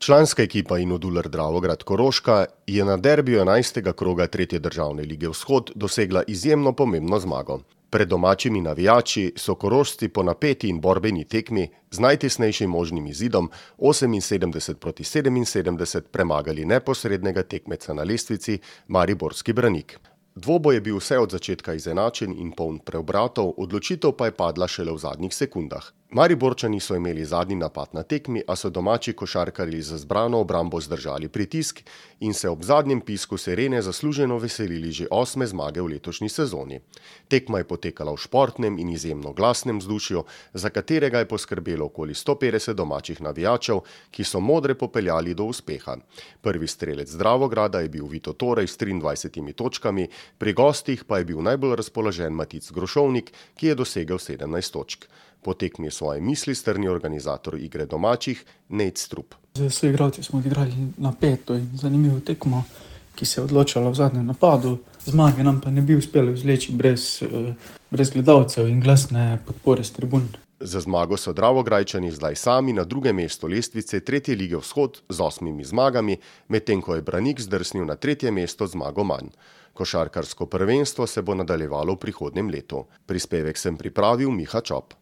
Članska ekipa Inodular Dravograd Koroška je na derbiju 11. kroga 3. državne lige Vzhod dosegla izjemno pomembno zmago. Pred domačimi navijači so Korošci po napeti in borbeni tekmi z najtesnejšim možnim izidom 78-77 premagali neposrednega tekmeca na lestvici mariborski Branik. Dvoboj je bil vse od začetka izenačen in poln preobratov, odločitev pa je padla šele v zadnjih sekundah. Mariborčani so imeli zadnji napad na tekmi, a so domači košarkarji z zbrano obrambo zdržali pritisk in se ob zadnjem pisku sirene zasluženo veselili že 8. zmage v letošnji sezoni. Tekma je potekala v športnem in izjemno glasnem vzdušju, za katerega je poskrbelo okoli 150 domačih navijačev, ki so modre popeljali do uspeha. Prvi strelec Dravograda je bil Vito Torej s 23 točkami, pri gostih pa je bil najbolj razpoložen Matic Grošovnik, ki je dosegel 17 točk. Po tekmi je svoje misli strnil organizator igre domačih Nejc Strup. Z soigralci smo odigrali napeto in zanimivo tekmo, ki se je odločala v zadnjem napadu. Zmage nam pa ne bi uspelo izvleči brez gledalcev in glasne podpore s tribun. Za zmago so Dravograjčani zdaj sami na drugem mestu lestvice 3. lige Vzhod z 8 zmagami, medtem ko je Branik zdrsnil na 3. mesto zmago manj. Košarkarsko prvenstvo se bo nadaljevalo v prihodnjem letu. Prispevek sem pripravil Miha Čop.